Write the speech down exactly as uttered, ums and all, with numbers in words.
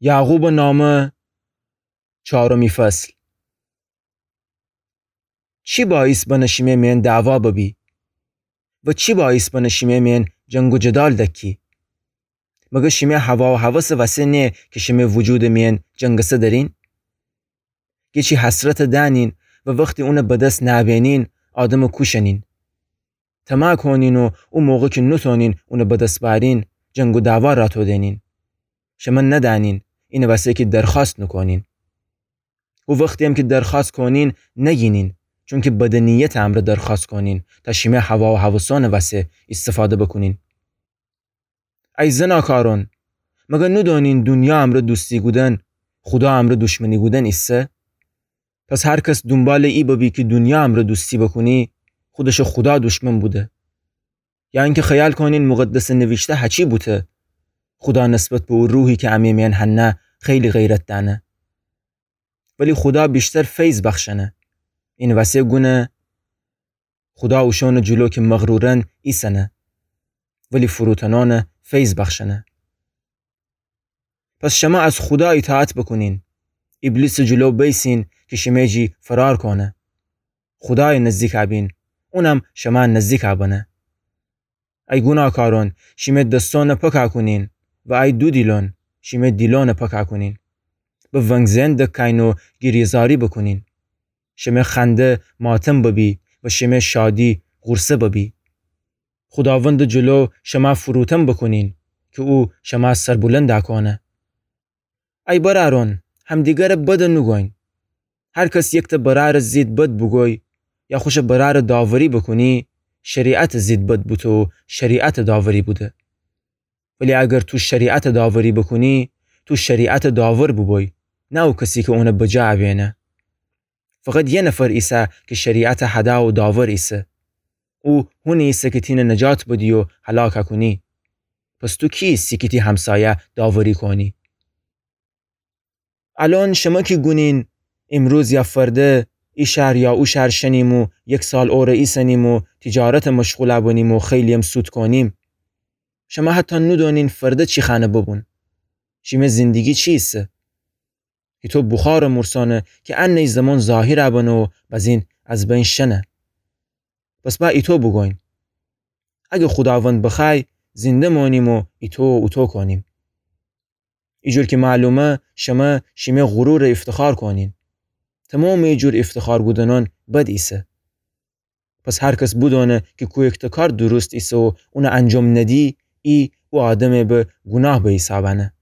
یعقوبٚ نامه، چارمی فصل. چی باعث بنه شیمه مین دعوا ببی؟ و چی باعث بنه شیمه مین جنگ و جدال دکی؟ مگه شیمه هوا و هوسٚ وسه نیه کی شیمه وجودٚ مین جنگسه درین؟ گیچی حسرت دأنین و وختی اونٚ بدس نأبینین، آدمٚ کوشنین. طمع کونین و او موقع کی نوتونین اونٚ بدس بأرین، جنگ و دعوا راتو دینین. شمه ندأنین، اینٚ وسه کی درخوأست نوکونین. او وختیم کی درخوأست کونین، نگینین، چونکی بدٚ نیتٚ امرأ درخوأست کونین، تا شیمه هوا و هوسونٚ وسه ایستفاده بوکونین. ای زناکارون، مگه نودونین دونیا امرأ دوستی کودن، خودا امرأ دوشمنی کودن ایسه؟ پس هر کس دونبالٚ ای ببی کی دونیا امرأ دوستی بوکونی، خودشٚ خودا دوشمن بوده. یا اینکی خیال کونین مقدسٚ نویشته هچی بوته، خودا نسبت به او روحی کی امه مین هنه خیلی غیرت دأنه. ولی خودا ویشتر فیض بخشنه. اینٚ وسه گونه خودا اوشونٚ جلو کی مغرورن ایسنه، ولی فروتنونٚ فیض بخشنه. پس شمه از خودا ایطاعت بوکونین، ایبلیسٚ جلو بیسین کی شیمه جی فرار کونه. خودایٚ نزدیک بین، اونم شمه نزدیک بنه. ای گوناکارون، شیمه دسونٚ پکه کونین و ای دودیلون، شیمه دیلونٚ پکه کونین. به ونگزئن دکاین و گیریه‌زاری بوکونین. شیمه خنده ماتم ببی و شیمه شادی غورصه ببی. خوداوندٚ جلو شمه فروتن بوکونین کی او شمه سربلند کونه. ای برأرون، همدیگرٚ بد نوگوین. هر کس یکتأ برأرٚ زید بد بوگوی یا خوشٚ برأرٚ داوری بوکونی، شریعتٚ زید بد بوته و شریعتٚ داوری بوده. ولی اگر تو شریعتٚ داوری بوکونی، تو شریعتٚ داور بوبوی، نه او کسی کی اونٚ بجا ابینه. فقط یه نفر ایسه کی شریعتٚ هده و داور ایسه. او هونی ایسه کی تینه نجات بدی و هلاک کونی. پس تو کی ایسی کی تی همسایه داوری کونی؟ الأن شمه کی گونین، ایمروز یا فرده، ای شهر یا او شهر شنیم و یک سال اوره ایسنیم و تجارتٚ مشغول بنیم و خیلیم سود کونیم. شمه حتی نودونین فرده چی خأنه ببون. شیمه زندگی چی ایسه؟ ایتو بخارٚ مورسانه کی انه ای زمان ظاهر بنه و بزین از بین شنه. پس با ایتو بوگوین. اگه خوداوند بخوأی، زنده مونیم و ایتو و اوتو کونیم. ایجور کی معلومه، شمه شیمه غرورٚ ایفتخار کونین. تمامٚ ایجور ایفتخار کودنأن بد ایسه. پس هر کس بودونه کی کویکته کار درست ایسه و اونه انجام ندی، ای او آدمه به گوناه بحیساب انه.